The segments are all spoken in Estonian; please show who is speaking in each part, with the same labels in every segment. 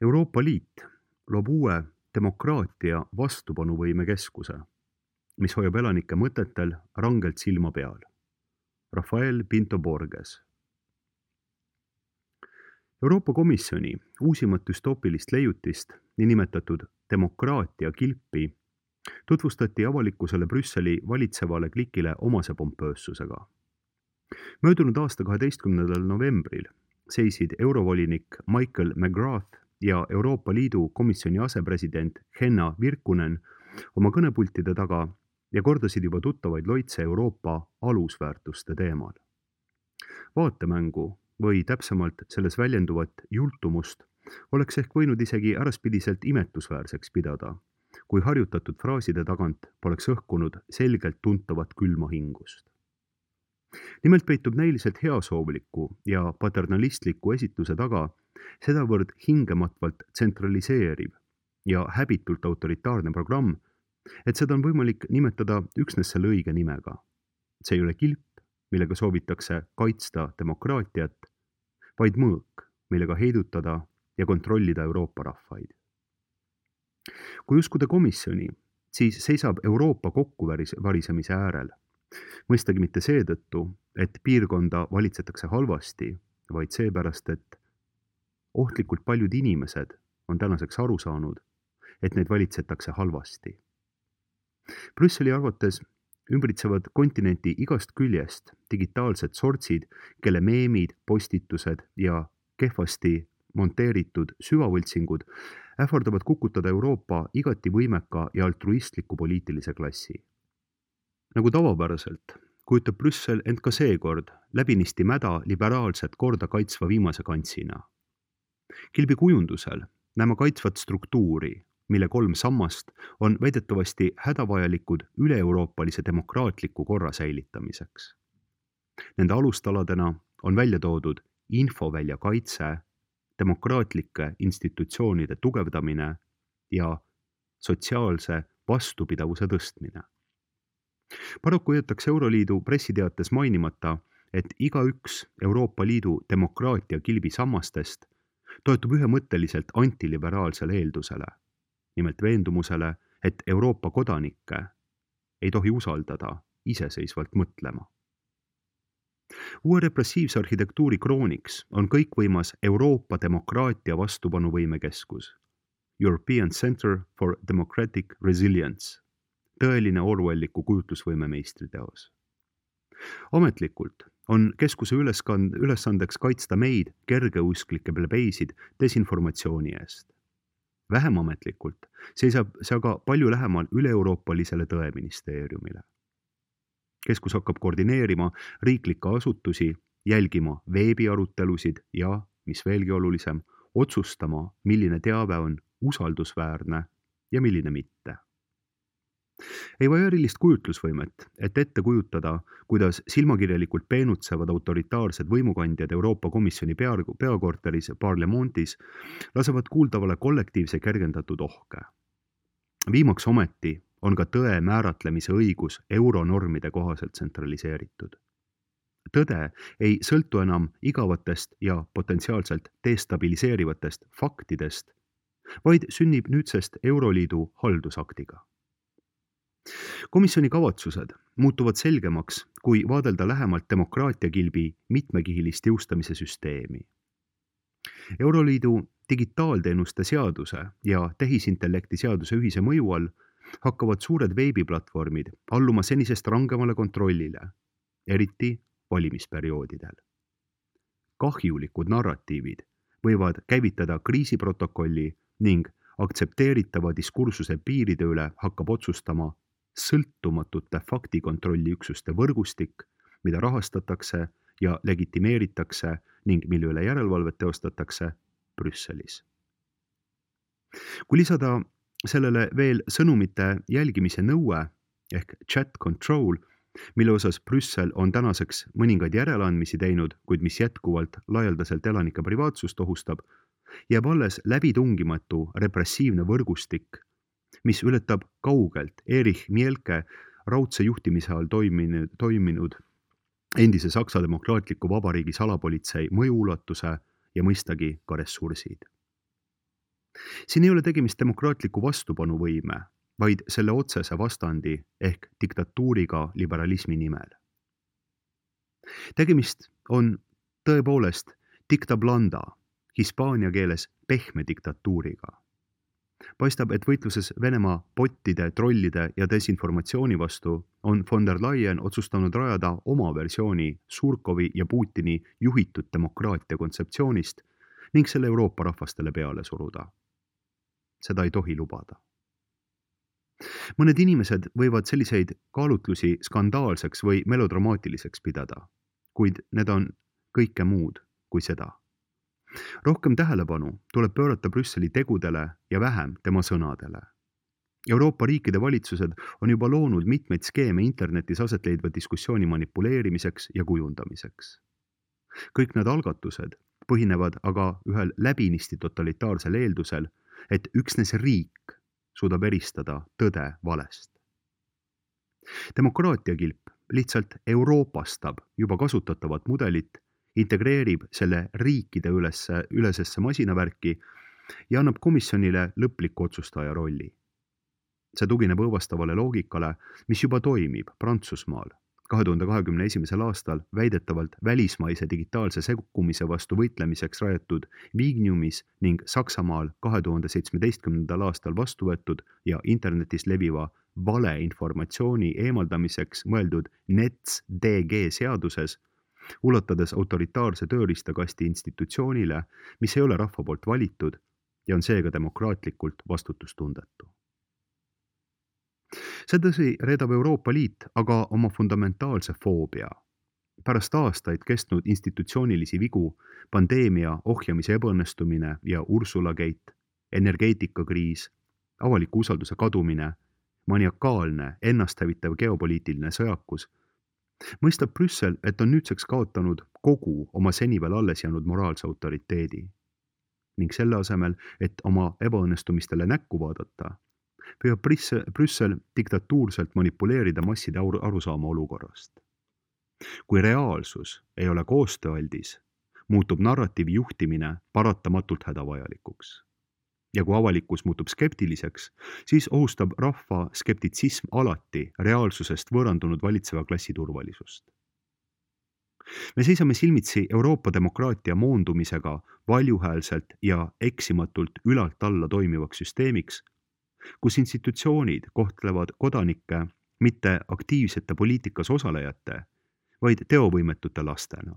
Speaker 1: Euroopa Liit loob uue demokraatia vastupanuvõime keskuse, mis hoiab elanike mõtetel rangelt silma peal. Rafael Pinto Borges. Euroopa Komisjoni uusimat düstoopilist leiutist, niinimetatud demokraatia kilpi, tutvustati avalikkusele Brüsseli valitsevale klikile omase pompöössusega. Möödunud aasta 12. novembril seisid eurovolinik Michael McGrath ja Euroopa Liidu komisjoni asepresident Henna Virkkunen oma kõnepultide taga ja kordasid juba tuttavaid loitse Euroopa alusväärtuste teemal. Vaatemängu või täpsemalt selles väljenduvat jultumust oleks ehk võinud isegi äraspidiselt imetlusväärseks pidada, kui harjutatud fraaside tagant poleks õhkunud selgelt tuntavat külma hingust. Nimelt peitub näiliselt heasoovliku ja paternalistliku esituse taga sedavõrd hingematvalt tsentraliseeriv ja häbitult autoritaarne programm, et seda on võimalik nimetada üksnes selle õige nimega. See ei ole kilp, millega soovitakse kaitsta demokraatiat, vaid mõõk, millega heidutada ja kontrollida Euroopa rahvaid. Kui uskuda komisjoni, siis seisab Euroopa kokkuvarisemise äärel. Mõistagi mitte seetõttu, et piirkonda valitsetakse halvasti, vaid seepärast, et ohtlikult paljud inimesed on tänaseks aru saanud, et neid valitsetakse halvasti. Brüsseli arvates ümbritsevad kontinenti igast küljest digitaalsed sortsid, kelle meemid, postitused ja kehvasti monteeritud süvavõltsingud ähvardavad kukutada Euroopa igati võimeka ja altruistliku poliitilise klassi. Nagu tavapäraselt kujutab Brüssel end ka seekord läbinisti mäda liberaalset korda kaitsva viimase kantsina. Kilbi kujundusel näeme kaitsvat struktuuri, mille 3 sammast on väidetavasti hädavajalikud üle-euroopalise demokraatliku korra säilitamiseks. Nende alustaladena on välja toodud infovälja kaitse, demokraatlike institutsioonide tugevdamine ja sotsiaalse vastupidavuse tõstmine. Paraku jäetakse Euroliidu pressiteates mainimata, et igaüks Euroopa Liidu demokraatia kilbi sammastest toetub ühemõtteliselt antiliberaalsele eeldusele, nimelt veendumusele, et Euroopa kodanikke ei tohi usaldada iseseisvalt mõtlema. Uue repressiivse arhitektuuri krooniks on kõikvõimas Euroopa demokraatia vastupanuvõime keskus, European Center for Democratic Resilience, tõeline Orwelliku kujutlusvõime meistriteos. Ametlikult on keskuse ülesandeks kaitsta meid, kergeusklikke plebeisid, desinformatsiooni eest. Vähem ametlikult seisab see aga palju lähemal üle-euroopalisele tõeministeeriumile. Keskus hakkab koordineerima riiklikke asutusi, jälgima veebiarutelusid ja, mis veelgi olulisem, otsustama, milline teave on usaldusväärne ja milline mitte. Ei vaja erilist kujutlusvõimet, et ette kujutada, kuidas silmakirjalikult peenutsevad autoritaarsed võimukandjad Euroopa Komisjoni peakorteris Parlemontis lasevad kuuldavale kollektiivse kergendatud ohke. Viimaks ometi on ka tõe määratlemise õigus euronormide kohaselt tsentraliseeritud. Tõde ei sõltu enam igavatest ja potentsiaalselt destabiliseerivatest faktidest, vaid sünnib nüüdsest Euroliidu haldusaktiga. Komisjoni kavatsused muutuvad selgemaks, kui vaadelda lähemalt demokraatia kilbi mitmekihilist jõustamise süsteemi. Euroliidu digitaalteenuste seaduse ja tehisintellekti seaduse ühise mõju all hakkavad suured veebiplatvormid alluma senisest rangemale kontrollile, eriti valimisperioodidel. Kahjulikud narratiivid võivad käivitada kriisiprotokolli ning aktsepteeritava diskursuse piiride üle hakkab otsustama sõltumatute faktikontrolliüksuste võrgustik, mida rahastatakse ja legitimeeritakse ning mille üle järelevalvet teostatakse Brüsselis. Kui lisada sellele veel sõnumite jälgimise nõue ehk chat control, mille osas Brüssel on tänaseks mõningaid järeleandmisi teinud, kuid mis jätkuvalt laialdaselt elanike privaatsust ohustab, jääb alles läbitungimatu repressiivne võrgustik, mis ületab kaugelt Erich Mielke raudse juhtimise all toiminud endise Saksa Demokraatliku Vabariigi salapolitsei mõjuulatuse ja mõistagi ka ressursid. Siin ei ole tegemist demokraatliku vastupanuvõime, vaid selle otsese vastandi ehk diktatuuriga liberalismi nimel. Tegemist on tõepoolest dicta blanda, hispaania keeles pehme diktatuuriga. Paistab, et võitluses Venemaa bottide, trollide ja desinformatsiooni vastu on von der Leyen otsustanud rajada oma versiooni Surkovi ja Putini juhitud demokraatia kontseptsioonist ning selle Euroopa rahvastele peale suruda. Seda ei tohi lubada. Mõned inimesed võivad selliseid kaalutlusi skandaalseks või melodramaatiliseks pidada, kuid need on kõike muud kui seda. Rohkem tähelepanu tuleb pöörata Brüsseli tegudele ja vähem tema sõnadele. Euroopa riikide valitsused on juba loonud mitmeid skeeme internetis aset leidva diskussiooni manipuleerimiseks ja kujundamiseks. Kõik need algatused põhinevad aga ühel läbinisti totalitaarsel eeldusel, et üksnes riik suudab eristada tõde valest. Demokraatiakilp lihtsalt euroopastab juba kasutatavat mudelit, integreerib selle riikide ülesesse masinavärki ja annab komisjonile lõpliku otsustaja rolli. See tugineb õõvastavale loogikale, mis juba toimib Prantsusmaal 2021. aastal väidetavalt välismaise digitaalse sekkumise vastu võitlemiseks rajatud Vigniumis ning Saksamaal 2017. aastal vastu võetud ja internetis leviva valeinformatsiooni eemaldamiseks mõeldud NetzDG seaduses, ulatades autoritaarse tööriistakasti institutsioonile, mis ei ole rahva poolt valitud ja on seega demokraatlikult vastutustundetu. Sedasi reedab Euroopa Liit aga oma fundamentaalse foobia. Pärast aastaid kestnud institutsioonilisi vigu, pandeemia ohjamise ebaõnnestumine ja Ursula Gate, energeetikakriis, avaliku usalduse kadumine, maniakaalne, ennasthävitav geopoliitiline sõjakus, mõistab Brüssel, et on nüüdseks kaotanud kogu oma seni veel alles jäänud moraalse autoriteedi. Ning selle asemel, et oma ebaõnnestumistele näkku vaadata, püüab Brüssel diktatuurselt manipuleerida masside arusaama olukorrast. Kui reaalsus ei ole koostööaldis, muutub narratiivi juhtimine paratamatult hädavajalikuks. Ja kui avalikkus muutub skeptiliseks, siis ohustab rahva skeptitsism alati reaalsusest võõrandunud valitseva klassi turvalisust. Me seisame silmitsi Euroopa demokraatia moondumisega valjuhäälselt ja eksimatult ülalt alla toimivaks süsteemiks, kus institutsioonid kohtlevad kodanikke mitte aktiivsete poliitikas osalejate, vaid teovõimetute lastena.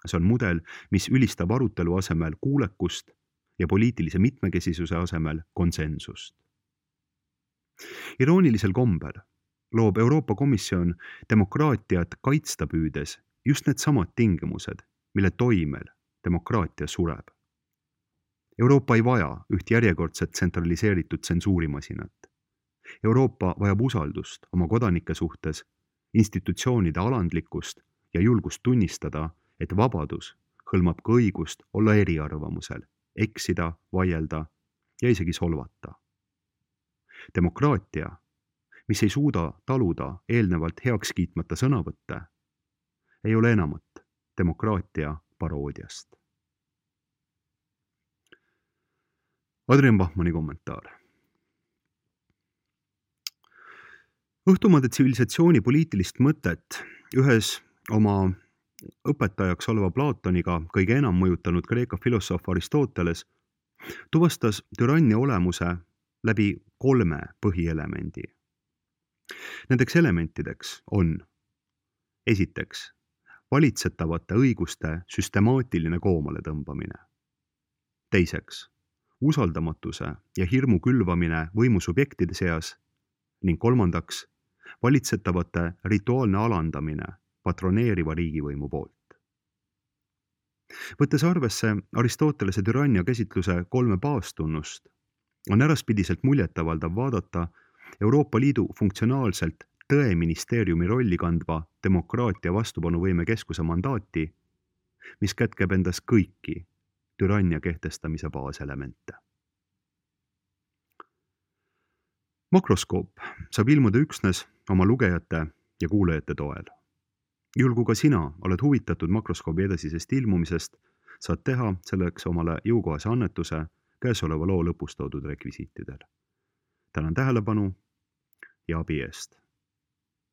Speaker 1: See on mudel, mis ülistab arutelu asemel kuulekust ja poliitilise mitmekesisuse asemel konsensust. Iroonilisel kombel loob Euroopa Komisjon demokraatiat kaitsta püüdes just need samad tingimused, mille toimel demokraatia sureb. Euroopa ei vaja üht järjekordset tsentraliseeritud tsensuurimasinat. Euroopa vajab usaldust oma kodanike suhtes, institutsioonide alandlikkust ja julgust tunnistada, et vabadus hõlmab ka õigust olla eriarvamusel, eksida, vaielda ja isegi solvata. Demokraatia, mis ei suuda taluda eelnevalt heaks kiitmata sõnavõtte, ei ole enamat demokraatia paroodiast. Adrian Bachmanni kommentaar. Õhtumaade tsivilisatsiooni poliitilist mõtet ühes oma õpetajaks oleva Platoniga kõige enam mõjutanud Kreeka filosoof Aristoteles tuvastas türannia olemuse läbi 3 põhielemendi. Nendeks elementideks on esiteks valitsetavate õiguste süstemaatiline koomale tõmbamine. Teiseks usaldamatuse ja hirmu külvamine võimusubjektide seas ning kolmandaks valitsetavate rituaalne alandamine patroneeriva riigivõimu poolt. Võttes arvesse Aristotelese türannia käsitluse 3 baastunnust, on äraspidiselt muljetavaldav vaadata Euroopa Liidu funktsionaalselt tõeministeeriumi rolli kandva demokraatia vastupanuvõime keskuse mandaati, mis kätkeb endas kõiki türannia kehtestamise baaselemente. Makroskoop saab ilmuda üksnes oma lugejate ja kuulajate toel. Juhul kui ka sina oled huvitatud makroskoobi edasisest ilmumisest, saad teha selleks omale jõukohase annetuse, käesoleva loo lõpus toodud rekvisiitidel. Tänan tähelepanu ja abi eest!